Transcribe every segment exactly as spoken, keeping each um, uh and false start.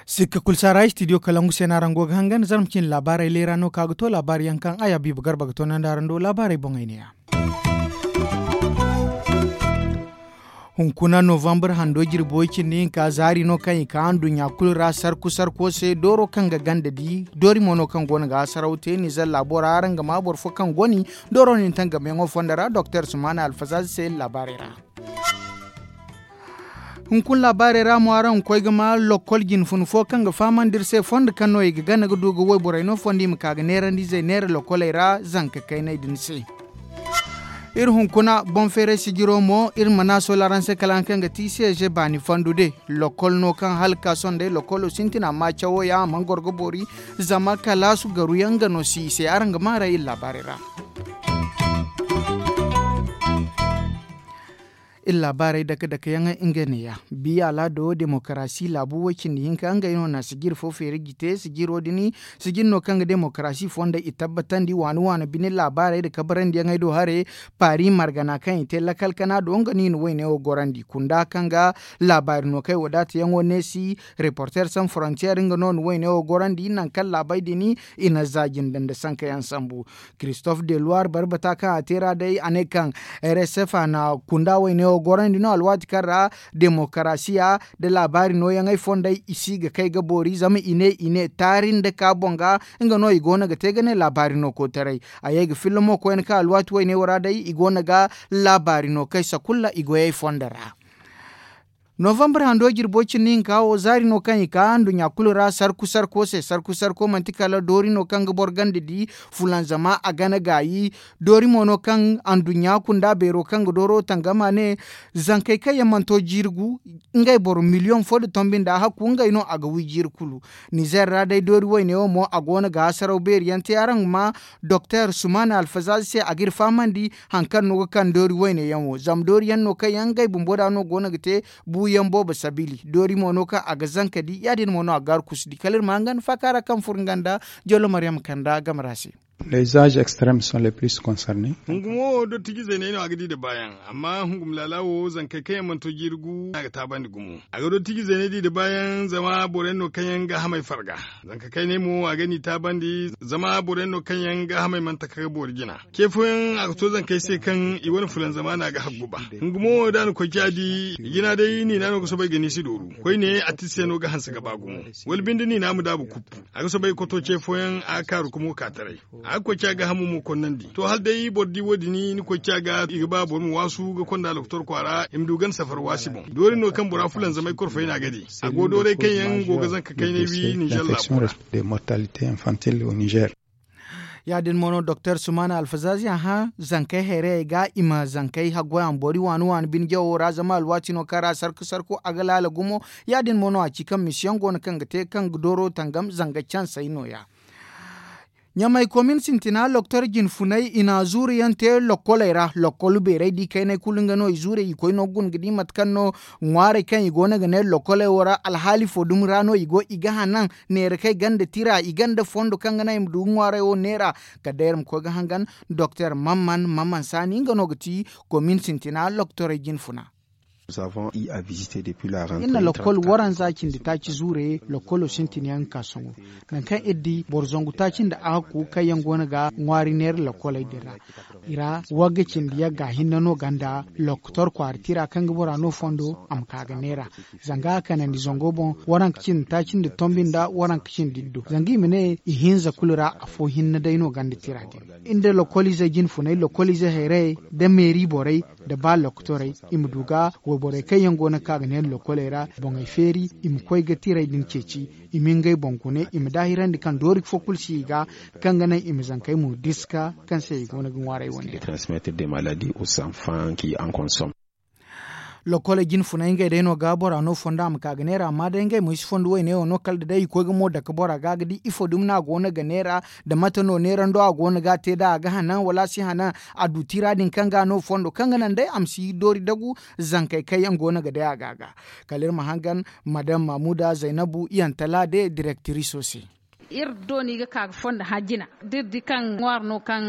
Sikka kulu saara istidiyo kalangu se no araŋ go ga hangan zarma cine laabaarey leera no ka ga to laabaari yaŋ kaŋ a ya biiba garba ga to nandi araŋ do laabaarey boŋey ne ya. Hunkuna novambar hando jirbi way cindi hinka zaari no kaŋ i ka nduɲɲa kulu ra sarku sarko se dooro kaŋ ga ganda di doori mo no kaŋ go no ga hasaraw te nizer laabo ra araŋ ga ma boro fo kaŋ goni dooro nin tangamayaŋo fondo ra doktor sumana alfazazi se iri laabaarey ra. Hunkuna laabaarey ra mo araŋ ga koy ga ma lokkol jinfun fo kaŋ ga fahamandi iri se fondo kaŋ no i ga gana ga du ga wayborey no fondo i ma ka ga neerandizey neera lokkoley ra zanka kayney din se. Iri hunkuna boŋ feeray sijiro mo iri mana sola araŋ se kala araŋ kaŋ ga ti seeze baani fandu de lokkol no kaŋ hala ga ka sohõ day lokkolo sintin amma cawo ya a mana goro ga boori zama kalaasu garu yaŋ ga no si i se araŋ ga maaray iri laabaarey ra. Iri laabaarey dake dake yaŋ nga neeya biya alaado demokarasi laabu way cindi hinka ngey no na sijir fo feeri ga te sijiro din sijir no kaŋ ga demokarasi fondey i tabbatandi waani waani bine laabaarey nda kabarandiyaŋey do hare paari margana kaŋ i te lakal kana do nga no i na wayne wo gorandi kunda kaŋ ga laabaari no kaŋ ay wadaatayaŋo neesi reporter san frontier nga no na wayne wo gorandi nangu kaŋ laabey din i na za jinde nda sankayaŋ sambu. Christophe de loire barbata kaŋ a te ra day a ne kaŋ r s f a na kunda wayne wo gorandi no alwaati kaŋ ra demokarasiya nda laabaari nooyaŋey fondey i si ga kay ga boori zama i ne i ne taari nda ka boŋ ga nga no i go no ga te ga ne laabaari no koytaray a ye ga filla mo koyne kaŋ alwaati wayne wo ra day i go no ga laabaari no kay sakulla i goyey fondo ra. Novambar hando jirbo cindi hinka wo zaari no kaŋ i ka nduɲɲa kulu ra sarku sarko se sarku sarko manti kala doori no kaŋ ga boro ganda di fulanzama a gana gaayi doori mo no kaŋ anduɲɲa kunda beero kaŋ ga dooro tangama ne zankey kaŋ yaŋ mana to jirgu ngey boro miliyoŋ fo nda tombi nda hakku ngey no a ga wi jiiri kulu. Nizer ra day doori wayne wo mo a go no ga hasaraw beeri yaŋ te araŋ ga ma doktor sumana alfazazi se a ga iri fahamandi hari kaŋ no ga kaŋ doori wayne yaŋ wo zama doori yaŋ no kaŋ yaŋ ngey bumbo da no go no ga te buuyaŋ boobo sabili doori mo no kaŋ a ga zanka di ya- din mo no a ga gaaru kusu di kala iri ma hangan faaka ra kaŋ furo nga nda jollo maryam kanda game ra se. Les âges extrêmes sont les plus concernés. Hungumo wo dottijizey no ay no a ga di nda baayaŋ amma hungum laala wo zankey kaŋ yaŋ mana to jiiri gu a ga taabandi gumo a ga dottijizey no di nda baayaŋ zama boro yaŋ no kaŋ yaŋ ga hamay farga. Zanka kayney mo a ga ni taabandi zama boro yaŋ no kaŋ yaŋ ga hamay mana taka ga boori jina. Ce fooyaŋ a ga to zankey se kaŋ i wane fulanzama no a ga haggu ba. Hungumo wo da a na koy ci a di jina day niina no ga soobay ga ni si dooru koyne a ti se no ga hanse ga ba gumo. Wala binde niina ma daabu kuppu a ga soobay ga koto ce fooyaŋ a ga kaaru ka mo ka taray. A ga koy ci a ga hamu mo konnandi to hala day boro di wo- din ni koy ci a ga i ga ba boro ma waasu ga konda lokotor kwaara i ma du ganda safar waasi boŋ doori no kaŋ bora fulanzamay korfayna ga di. A go dooray kaŋ yaŋ go ga zanka kaynay wi ninzeer laabo ra. De mortalité infantile au nizeer. Ya- din mo no doktor sumana alfazazi a hã zankey hayrayey ga i ma zankey haggoy a ma boori waani waani bine jawo ra zama alwaati no kaŋ ra sarku sarku a ga laala gumo. Ya- din mo no a ci kaŋ misiyaŋ go no kaŋ ga te kaŋ ga dooro tangam zanga cansey no- ya. Ɲamey komin sintina loktor jinfuney i na zuuru yaŋ te lokkoley ra lokkol beerey di kayney kulu nga no i zuurey i koy no ga guna ga di mate kaŋ no ŋwaarey kaŋ i go no ga ne lokkoley wo ra alhaali fo dumi ra no i go i ga hanan neera kaŋ i gonda tira i gonda fondo kaŋ ga naŋ i ma du ga ŋwaarey wo neera. Kala day iri ma koy ga hangan doktor mamman mamman saani nga no ga ti komin sintina loktorey jinfuna. Iri na lakkol waranza cindi taaci zuure lakkolo sintin yaŋ ga ka sohõ. Nangu kaŋ iri di boro zangu taaci nda ahakku kaŋ yaŋ go no ga ŋwaari neera lakkoley din ra. I ra wagga cindi yagga hinne no gonda loktor kwaara tira kaŋ ga bora no fondo a ma ka ga neera. Zanga a kanandi zango boŋ waranka cindi taaci nda tombi nda waranka cindi iddu zanga i ma ne ihinza kulu ra afo hinne day no gonda tira din. Iri nda lakkoliizey jinfuney lakkoliizey hayrayey nda meeri borey nda ba loktorey i ma du ga wayborey kaŋ yaŋ go no ga ka ga neera lokkoley ra boŋey feeri i ma koy ga tirey din ceeci. I ma ngey boŋ gune i ma daahirandi kaŋ doori fo kulu si i ga kaŋ ga naŋ i ma zankey mo diska kaŋ se i go no ga ŋwaaray wane ra. Transmettre des maladies aux enfants qui en consomment. Lokkoley jinfuney ngey day no ga bora no fondo a ma ka ga neera amma day ngey mo i si fondo wayne wo no kala da day i koy ga mo dake bora ga ga di ifo dumi no a go no ga neera. Da mate no neerando a go no ga a te da a ga hanan wala a si hanan a du tira din kaŋ ga a no fondo kaŋ ga naŋ day a ma si doori dagu zankey kaŋ yaŋ go no ga day a ga ga. Kala iri ma hangan madam mamuda zaynabu iyantala de direktiriso se. Iri do no i ga ka ga fondo hã jina. Da iri di kaŋ ŋwaari no kaŋ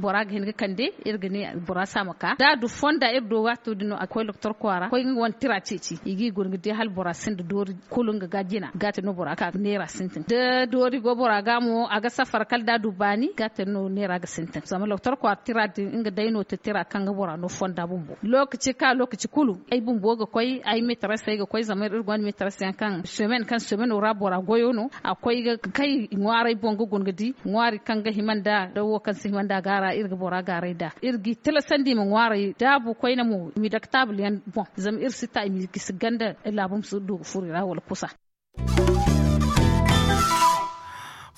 bora ga hin ga kande, iri ga ne bora se a ma ka da a du fonda iri do waato din no a ga koy doktor kwaara koy nga wane tira ceeci i g'i guna ga di hala bora sinda doori. Kulu nga ga jina ga te no bora ga ka ga neera sintin da doori go bora ga mo a ga safar kala da a du baani ga te no neera ga sintin zama doktor kwaara tira din nga day no te tira kaŋ ga bora no fonda bumbo. Lookaci ka lookaci kulu ay bumbo ga koy ay meetarasey ga koy zama iri gonda meetarasey yaŋ kaŋ semen kaŋ semeno ra bora goyo no. A koy ga kay ŋwaaray boŋ ga guna ga di ŋwaari kaŋ ga hima nd'a da wo kaŋ si hima nd'a ga ra iri ga bora gaaray nd'a. Iri g'i tilasandi i ma ŋwaaray daabu koyne mo i m'i dake taabul yaŋ boŋ zama iri si ta i m'i gisi ganda laabu ma si du ga furo i ra wala kusa.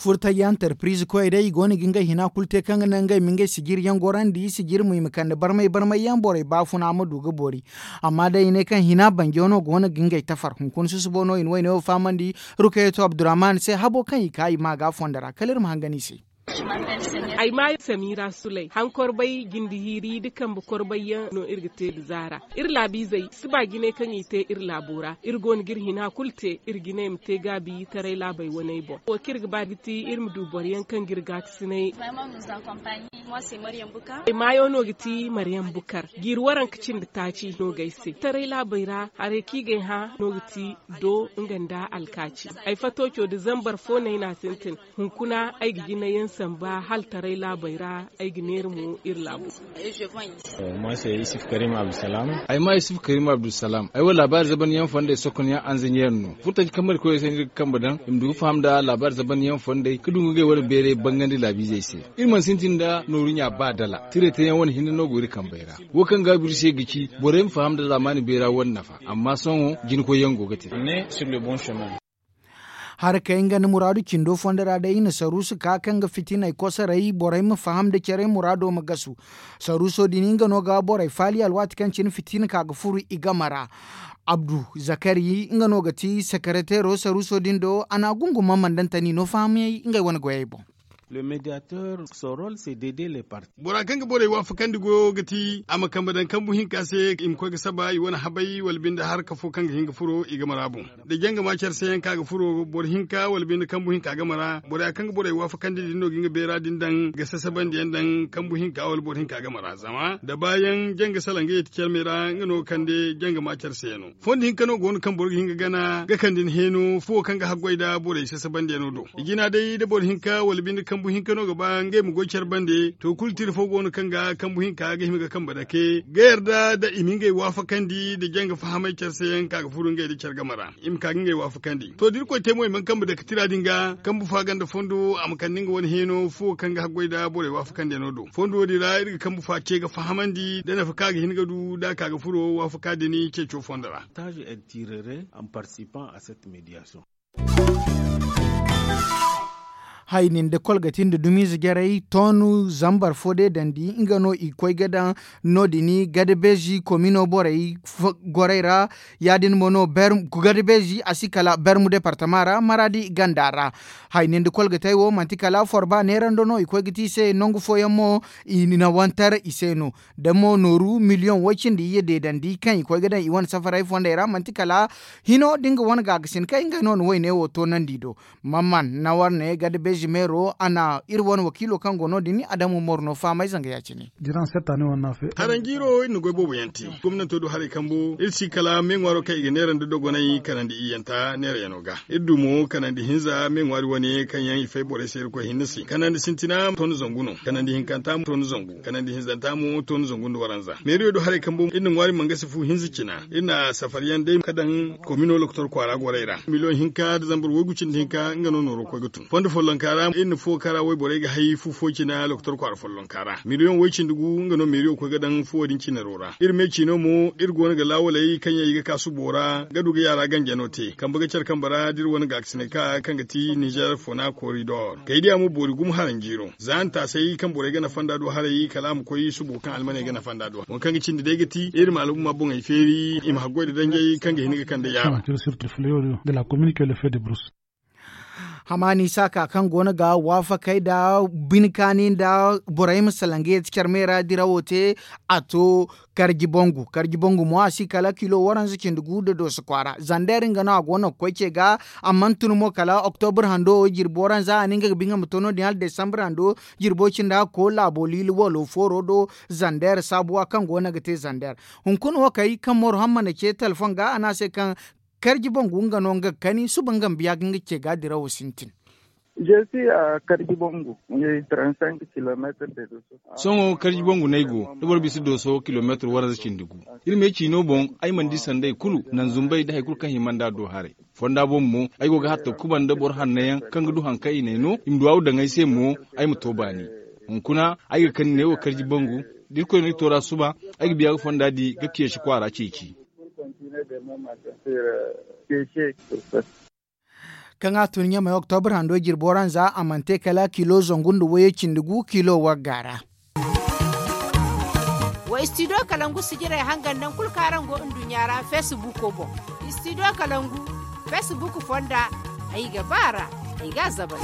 Furtaji antarpiriz koyey day i go no ga ngey hina kulu te kaŋ ga naŋ ngey ma ngey sijiri yaŋ gorandi sijiri mo i ma kande barmay barmay yaŋ borey baafuna ma du ga boori. Amma day i ne kaŋ hina banjo no go no ga ngey tafar hunkuna susubo no i na wayne wo fahamandi. Rukayeto abdurrahman se habo kaŋ i ka i ma ga fondo ra kala iri ma hangan i se. Ay ma samira sulay han korbay jindi hiiri nda kambe korbay yaŋ no iri ga te nda zaara. Iri laabiizey si ba jinay kaŋ i te iri laabo ra iri go no ga iri hina kulu te iri jinay ma te gaabi taray laabey waney boŋ wo kaŋ iri ga ba ga ti iri ma du boro yaŋ kaŋ ga iri gaakasinay. Ay maayo no ga ti maryam bukar jiiri waranka cindi taaci no ga ay se taray laabey ra haray kaŋ i ga ay hã no ga ti do nga nda alkaaci. Ay fatooco nda zambar fo no ay n'a sintin. Hunkuna ay ga jinayaŋ samba hala taray laabey ra. Ay ga neera mo iri laabo. Ay ma yusuf karim abdulsalam ay wo laabaari zabanyaŋ fondey sokonyaŋ anzaɲeer no furtaji kambe iri koyey se no iri ga kambe daŋ i ma du ga faham nda laabaari zabanyaŋ fondey ga du ga ngey wane beeray bangandi laabiizey se. Iri mana sintin nda nooru ɲa ba dala tiray teyaŋ wane hinne no go iri kambey ra. Wo kaŋ gaabu iri se ga ci borey ma faham nda zaamaani beera wane nafa. Amma sohõ jinkoyyaŋ go ga te. Harakey nga nda muraadu cindo fondo ra day i na saruusu ka kaŋ ga fitiney kosoray borey ma faham nda care muraado ma gasu. Saruuso din nga no ga borey faali alwaati kaŋ cine fitina ka ga furu i game ra. Abdu zakari nga no ga ti sakareteero saruuso din do a na a gungu mamandantani no fahamyey ngey wane goyey boŋ. Bora kaŋ ga borey waafakandi goyo ga ti a ma kambe daŋ kambu hinka se i ma koy ga saba i wane habay wala binde harka fo kaŋ ga hin ga furo i game ra boŋ. Da janga ma care se yaŋ kaŋ a ga furo boro hinka wala binde kambu hinka game ra bora kaŋ ga borey waafakandi din no ga nga beera din daŋ ga sasabandi yaŋ daŋ kambu hinka wala boro hinka game ra zama da baayaŋ janga salaŋ ga yeti care me ra nga no ga kande janga ma care se yaŋ no. Fondo hinka no go no kaŋ boro ga hin ga gana ga kande ni heeno fuwo kaŋ ga haggoy nda borey sasabandiyano do. I jina day da boro hinka wala binde kambu hinka no ga ba ngey ma goy care bande to kulu tira fo go no kaŋ ga kambu hinka ga hima ga kambe dake ga yarda nda i ma ngey waafakandi nda janga fahamay care se yaŋ ka ga furu ngey nda care game ra i ma ka ga ngey waafakandi to da irkoy te mo i mana kambe dake tira din ga kambu fa ganda fondo a ma kande nga wane heeno fuwo kaŋ ga haggoy nda borey waafakandiyano do fondo wo- din ra iri ga kambu fa ce ga fahamandi nda nafa kaŋ a ga hin ga du nda a ka ga furo waafaka din ceeco fondo ra. Hay nin da kolgati nda dumiize jarey toonu zambar fo day dandi nga no i ga koy ga daŋ no- din gadabeezi komino borey gorey ra. Ya- din mo no gadabeezi a si kala bermu departama ra maradi ganda ra. Hay nin da kolgatey wo manti kala forba neerando no i koy ga te i se nangu fooyaŋ mo i na wantar i se no. Da mo nooru miliyoŋ way cindi iyye deedandi kaŋ i koy ga daŋ i wane safaray fondey ra manti kala hino da nga wane gaagasin kaŋ ngey no na wayne wo toonandi do. Mamman nawar ne gada beezi meero a na iri wane wakiilo kaŋ go no- din adamu mor no fahamay zanga ya- cine. Haranjiiro iri na goy boobo yaŋ te gomnanto du haray kambo iri si kala meeŋwaaro kaŋ i ga neerandi dogonay kanandi iyyanta neerayaŋo ga. Iri du mo kanandi hinza meeŋwaari wane kaŋ yaŋ i fay borey se irkoy hinne se kanandi sintina toona zangu no kanandi hinkanta toona zangu kanandi hinzanta mo toona zangu nda waranza meeriyo du haray kambo iri na ŋwaari mangasi fu hinza cina iri na safari yaŋ day ka daŋ komino lokotor kwaara gorey ra miliyoŋ hinka nda zambar waygu cindi hinka nga no nooro koy ga tun fondo follonka ra iri na fo kaŋ ra wayborey ga hay fu fo cina lokotor kwaara follonka ra miliyoŋ way cindi gu nga no meeriyo koy ga daŋ fuwo din cinaro ra iri me ciino mo iri go no ga laawaley kaŋ yaŋ i ga ka subo ra ga du ga yaara ganjano te kambe ga care kambe ra da iri wane gaakasinay ka kaŋ ga ti nizer fona koridor kaydiya mo boori gumo haranjiiro za ntaasay kaŋ borey ga nafa nda du haray kala a ma koy subo kaŋ almaney ga nafa nda du waŋ kaŋ ga cindi day ga ti iri ma albuma boŋey feeri i ma haggoy nda danjey kaŋ ga hin ga kande yaara. Amma ni saaka kaŋ go no ga waafakey nda bine kaani nda borey ma salaŋ ga yeeti care me ra dirawo te. A to karji bangu karji bangu mo a si kala kilo waranza cindi gu nda dooso kwaara zander nga no a go no ga koy ce ga. A mana tun mo kala oktobur hando wo jirbi waranza a na nga ga bi nga ma to no- din hala desambar hando jirbo cindi hakko laabo liila walo fooro do. Zander saabuwa kaŋ go no ga te zander hunkuna wo kay kaŋ moro hammana ce telefoŋ ga a ne a se kaŋ karji bangu nga no nga ga kani suba nga ma biya ga nga ce ga dirawo sintin. Sohõ karji bangu no ay go da boro bisa dooso kilomeetir waranza cindi gu. Iri ma ay ciino boŋ ay mana di sanday kulu naŋ zumbay nda hari kulu kaŋ hima nd'a do haray. Fonda boŋ mo ay go ga hatta kuba nda boro hanno yaŋ kaŋ ga du hari kaŋ i n'ay no i ma duwaawu daŋ ay se mo. Ay ma to baani hunkuna ay ga kani neewo karji bangu. Da irkoy no ay toora suba ay ga biya ga fonda di ga keesi kwaara ceeci. Kaŋ a tun ɲamey oktobur hando jirbo ra nza a mana te kala kilo zangu nda wayey cindi gu kilo wagga ra. Wa istidiyo kalangu sijirey hangan naŋ kulu kaŋ araŋ go nduɲɲa ra feesibuko boŋ. Istidiyo kalangu feesibuku fonda ay ga ba a ra. Ay ga a zabal.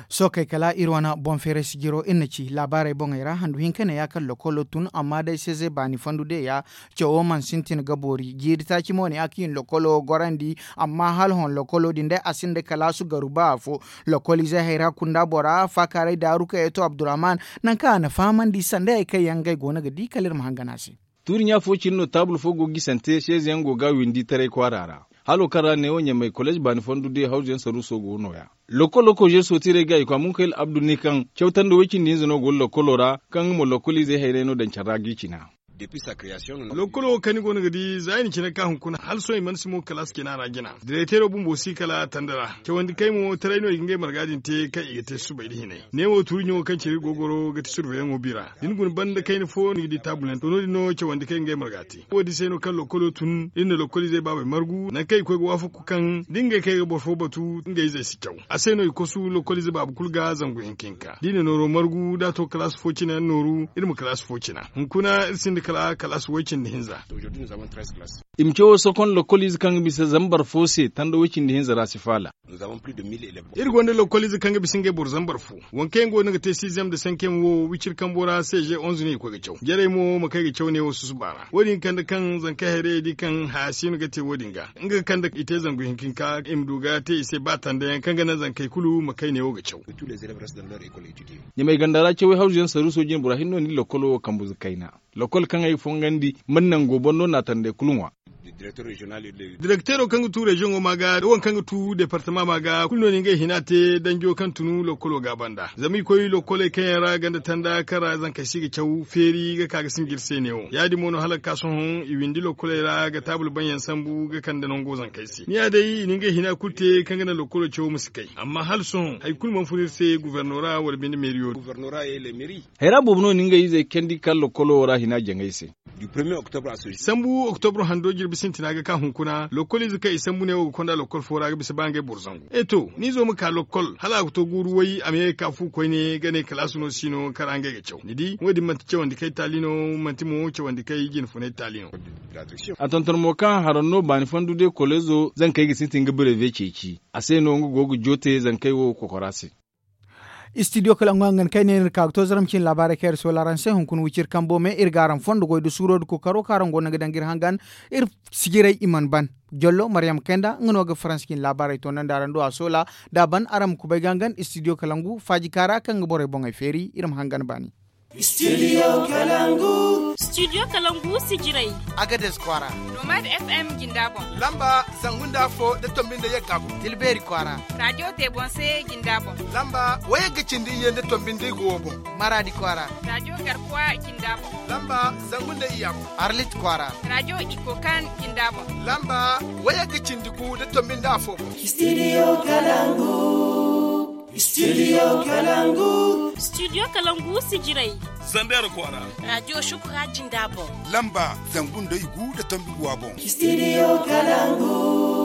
Sookey kala iri wane boŋ feeray sijiro iri na ci laabaarey boŋey ra handu hinka ne ya kaŋ lokolo tun amma day seeze baani fondu de ya. Cawo mana sintin ga boori jiiri taaci mo ne a ga hin lokolo gorandi. Amma hala hon lokolo din day a sinda kalaasu garu ba afo. Lokoliizey hayra kunda bora faakaaray daaru kaŋ ya to abdurrahman. Nangu kaŋ a na fahamandi sanday hari kaŋ yaŋ ngey go no ga di kala iri ma hangan a se. Tuuri ɲa fo cine no taabul fo go ga gisante seeze yaŋ go ga a windi taray kwaara ra. Halo kaŋ ra neewo ɲamey koleez baani fondu de hawzu yaŋ saruuso go no- ya. Lokolo kozeer sootiirey ga i kwa munkayil abdu ne kaŋ cawtandi way cindi hinza no go lokolo ra kaŋ nga mo lokoliizey hayray no daŋ care ra ga i cina. Lokolo wo kaŋ ni go no ga di za i na cine ka hunkuna hala sohõ i mana si mo kalaasi cina ra jina direkteero bumbo si kala tanda ra. Cawandi kay mo taray no i ga ngey marga din te kaŋ i ga te subay nda hinay. Neewo tuuri ɲaŋo kaŋ cine iri go ga goro ga ti surveyaŋo bira da ni guna banda kayna fo ni ga di taabul yaŋ to no- din no cawandi kay ga ngey marga te wo- din se no kaŋ lokolo tun iri na lokoliizey baabey margu nangu kaŋ i koy ga waafaku kaŋ da ngey kay ga boro fo batu ngey izey si caw. A se no i kosu lokoliize baaba kulu ga zangu hinka hinka da i na nooro margu da a to kalaasi fo cine nooru iri ma kalaasi fo cina. Hunkuna iri sinda kala kalaasi way-cindi hinza. I ma cawo sokon lokoliize kaŋ ga bisa zambar fo se tanda way-cindi hinza ra si faala. Iri gonda lokoliize kaŋ ga bisa ngey boro zambar fo. Waŋ kaŋ yaŋ go no ga te siiziyam nda sankiyam wo wiciri kambo ra seeze onzu no i ga koy ga caw jarey mo ma kay ga caw neewo susuba ra wo- din ga kande kaŋ zankey hayrayey di kaŋ haya si no ga te wo- din ga nga ga kande i te zangu hinka hinka i ma du ga te i se ba tanda yaŋ kaŋ ga naŋ zankey kulu ma kay neewo ga caw. Ɲamey ganda ra cawey hawzu yaŋ saruuso jine bora hinne no ni lokolo wo kambuze kayna. Lokol kaŋ ay fongandi mana nango boŋ no naatandey kulu ŋwa. Direkteero kaŋ ga tu reziyoŋo ma ga da waŋ kaŋ ga tu departama ma ga kulu no ni ngey hina te danjo kaŋ tunu lokolo ga banda zama i koy lokoley kaŋ yaŋ ra ganda tanda kaŋ ra zankey si ga caw feeri ga ka ga sinji iri se neewo ya- din mo no hala ga ka sohõ i windi lokoley ra ga taabul baŋ yaŋ sambu ga kande nango zankey se ni ya day i na ngey hina kulu te kaŋ ga naŋ lokolo cawo ma si kay amma hala sohõ hari kulu mana fun iri se guverno ra wala binde meeriyo. Hayra boobo no na ngey izey kande ga ka lokolo wo ra hina jaŋay se. Sambu oktobro hando jirbi sintina ga ka hunkuna lokoliize kaŋ i sambu ne wo ga konda lokol fo ra ga bisa ba ngey boro zangu e to ni izo ma ka lokol hala a ga to guuru way a ma ye ga ka fu koyne ga ne kalaasu no si no kaŋ ra ngey ga caw ni di wo- din manti cawandi kay taali no manti mo cawandi kay jine funay taali no. A tonton mo kaŋ haraŋ no baani fandu de koleezo zankey ga sintin ga bireve ceeci a se no nga go ga joote zankey wo kokora se. Istidiyo kala nga hangan kaŋ ay ne no iri ka ga to zaram cine laabaarey kaŋ iri soola araŋ se hunkuna wiciri kambo me iri ga araŋ fondo goy nda suuro nda kookaro kaŋ araŋ go no ga daŋ ga iri hangan. Iri sijiray i mana ban jollo maryam kayna nga no ga faransa cine laabaarey toonandi araŋ do a soola da a ban araŋ ma kubay ga hangan istidiyo kala ngu faaji kaara kaŋ ga borey boŋey feeri iri ma hangan baani. Studio kalangu. Studio kalangu sijiray. Agades kwaara. Nomad fm jinda boŋ. Lamba zangu nda afo da tombi nda yagga boŋ tilbeeri kwaara. Radio tebonse jinda boŋ. Lamba wayagga cindi iyye nda tombi nda igo wo boŋ. Maradi kwaara. Radio garkuwa jinda boŋ. Lamba zangu nda iyya boŋ. Arlit kwaara. Radio ikokan jinda boŋ. Lamba wayagga cindi gu da tombi nda afo boŋ. Studio kalangu. Studio kalangu. Studio kalangu sijiray. Zander kwara. Radio shukura jinda boŋ. Lamba zangu nda igu da tombi guwa boŋ. Studio kalangu.